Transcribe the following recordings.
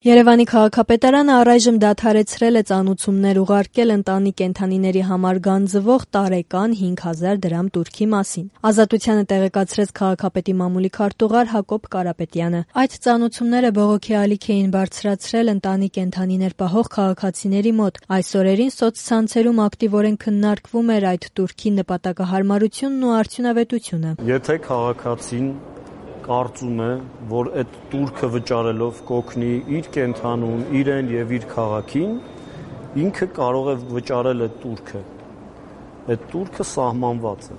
Երևանի քաղաքապետարանը առայժմ դադարեցրել է ծանուցումներ ուղարկել ընտանի կենդանիների համար գանձվող տարեկան 5000 դրամ տուրքի մասին։ Ազատությանը տեղեկացրեց քաղաքապետի մամուլի քարտուղար Հակոբ Կարապետյանը։ Այդ ծանուցումները բողոքի ալիք էին բարձրացրել ընտանի կենդանիներ պահող քաղաքացիների մոտ։ Այս օրերին սոցցանցերում ակտիվորեն քննարկվում էր այդ տուրքի նպատակահարմարությունն ու արդյունավետությունը։ Եթե քաղաքացին կարծում է, որ այդ տուրքը վճարելով կօգնի իր կենդանուն, իրեն եւ իր քաղաքին, ինքը կարող է վճարել այդ տուրքը։ Այդ տուրքը սահմանված է։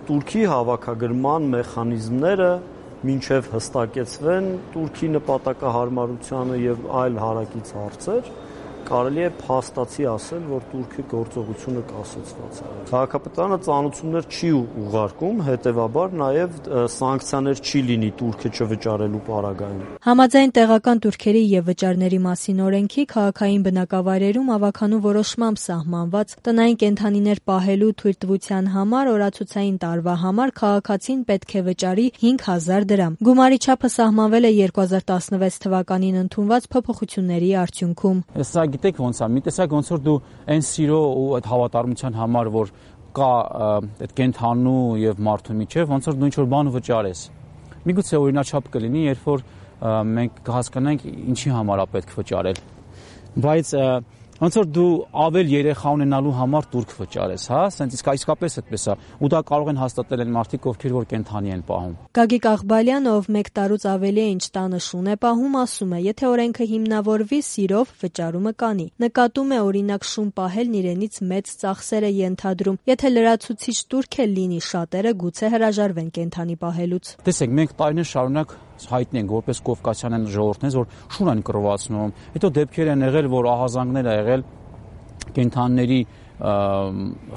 Տուրքի հավաքագրման մեխանիզմները մինչև հստակեցվեն տուրքի նպատակահարմարությանը եւ այլ հարակից հարցեր, կարելի է փաստացի ասել, որ տուրքի գործողությունը կասեցված է։ Քաղաքապետարանը ծանուցումներ չի ուղարկում, հետեւաբար նաեւ սանկցիաներ չի լինի տուրքը չվճարելու պարագայում։ Համաձայն տեղական տուրքերի եւ վճարների մասին օրենքի քաղաքային բնակավայրերում ավականու որոշմամբ սահմանված տնային կենդանիներ պահելու թույլտվության համար օրացուցային տարվա համար քաղաքացին պետք է վճարի 5000 դրամ։ Գումարի չափը սահմանվել է 2016 թվականին ընդունված փոփոխությունների արդյունքում։ Գիտեք ոնց է, մի տեսակ ոնց որ դու այն սիրո ու այդ հավատարմության համար, որ կա այդ կենդանու եւ մարդու միջեւ, ոնց որ դու ինչ որ բան վճարես։ Միգուցե օրինաչափ կլինի, երբ որ մենք կհասկանանք ինչի համար է պետք վճարել։ Բայց ոնց որ դու ավել երեխա ունենալու համար տուրք վճարես, հա, ասենց իսկապես այդպես է, ու դա կարող են հաստատել այն մարդիկ, ովքեր որ կենդանի են պահում։ Գագիկ Աղբալյանը, ով 1 տարուց ավելի է ինչ տանը շուն է պահում, ասում է, եթե օրենքը հիմնավորվի, սիրով վճարումը կանի։ Նկատում է, օրինակ, շուն պահելն իրենից մեծ ծախսեր է ենթադրում։ Եթե լրացուցիչ տուրք է լինի, շատերը գուցե հրաժարվեն կենդանի պահելուց։ Տեսեք, մենք տարիներ շարունակ հայտնի ենք որպես կովկասյան ժողովուրդներ, որ շուն են կռվածնում։ Հետո դեպքեր են եղել, որ ահազանգներ ա եղել կենդանիների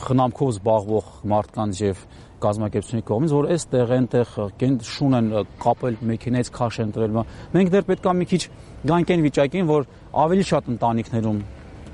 խնամքով զբաղվող մարդկանց եւ կազմակերպությունների կողմից, որ այստեղ այնտեղ շուն են կապել մեքենայից քաշ են տվել։ Մենք դեռ պետք է մի քիչ գանք այն վիճակին, որ ավելի շատ ընտանիքներում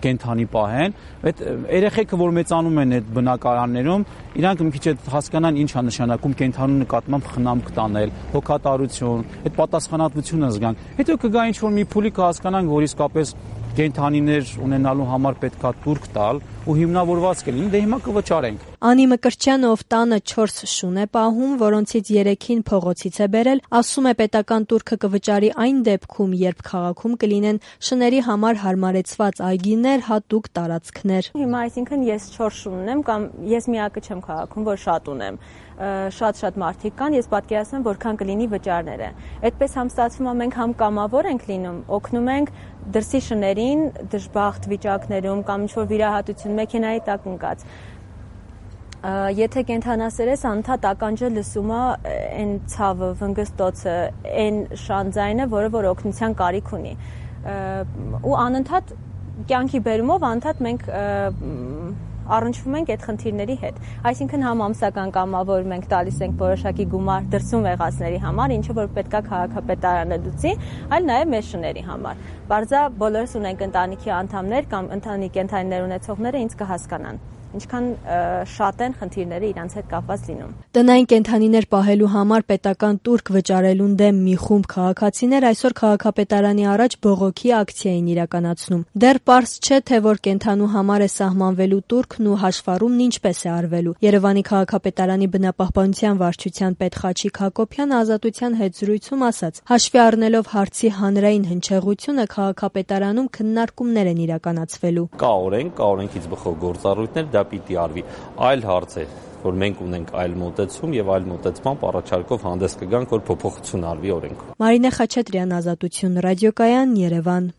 կենդանի պահեն, այդ երեխեքը, որ մեծանում են այդ բնակարաններում, իրանք մի քիչ հասկանան ինչ է նշանակում կենդանու նկատմամբ խնամք տանել, հոգատարություն, այդ պատասխանատվությունը զգան։ Հետո կգա ինչ որ մի փուլի կհասկանանք, որ իսկապես կենդանիներ ունենալու համար պետքա տուրք տալ ու հիմնավորված կլինի, դե հիմա կվճարենք։ Անի Մկրտչյանը, ով տանը 4 շուն է պահում, որոնցից 3-ին փողոցից է բերել, ասում է պետական տուրքը կվճարի այն դեպքում, երբ քաղաքում կլինեն շների համար հարմարեցված այգիներ, հատուկ տարածքներ։ Հիմա այսինքն ես 4 շուն ունեմ կամ ես միակը չեմ քաղաքում, որ շատ ունեմ։ Շատ մարդիկ կան, ես պատկերացնում որքան կլինի վճարները։ Այդպես համստացվում է մենք համ կամավոր ենք լինում, օգնում ենք դրսի շներին դժբախտ վիճակներում կամ ինչ-որ վիրահատություն մեքենայի տակ ընկած։ Եթե կենդանասեր ես, անընդհատ ականջը լսում է այն ցավը, վնգստոցը, այն շանձայինը, որը որ օգնության կարիք ունի։ Ու անընդհատ կյանքի բերումով անընդհատ մենք առնչվում ենք այդ խնդիրների հետ։ Այսինքն համ ամսական կամավոր մենք տալիս ենք որոշակի գումար դրսում եղածների համար, ինչը որ պետքա քաղաքապետարանը լուծի, այլ նաև մեր շների համար։ Բարձա բոլորս ունենք ընտանիքի անդամներ կամ ընտանի կենդանիներ ունեցողները ինձ կհասկանան ինչքան շատ են խնդիրները իրանց հետ կապված լինում։ Տնային կենդանիներ պահելու համար պետական տուրք վճարելուն դեմ մի խումբ քաղաքացիներ այսօր քաղաքապետարանի առաջ բողոքի ակցիա են իրականացնում։ Դեռ պարզ չէ, թե որ կենդանու համար է սահմանվելու տուրքն ու հաշվառումն ինչպես է արվելու։ Երևանի քաղաքապետարանի բնապահպանության վարչության պետ Խաչիկ Հակոբյանը Ազատության հետ զրույցում ասաց. հաշվի առնելով հարցի հանրային հնչեղությունը քաղաքապետարանում քննարկումներ են իրականացվելու։ Կա օրենք, կա օրենքից բխող գործառույթներ, դա պիտի արվի։ Այլ հարց է, որ մենք ունենք այլ մոտեցում եւ այլ մոտեցմամբ առաջարկով հանդես կգանք, որ փոփոխություն արվի օրենքում։ Մարինե Խաչատրյան, Ազատություն, ռադիոկայան, Երևան։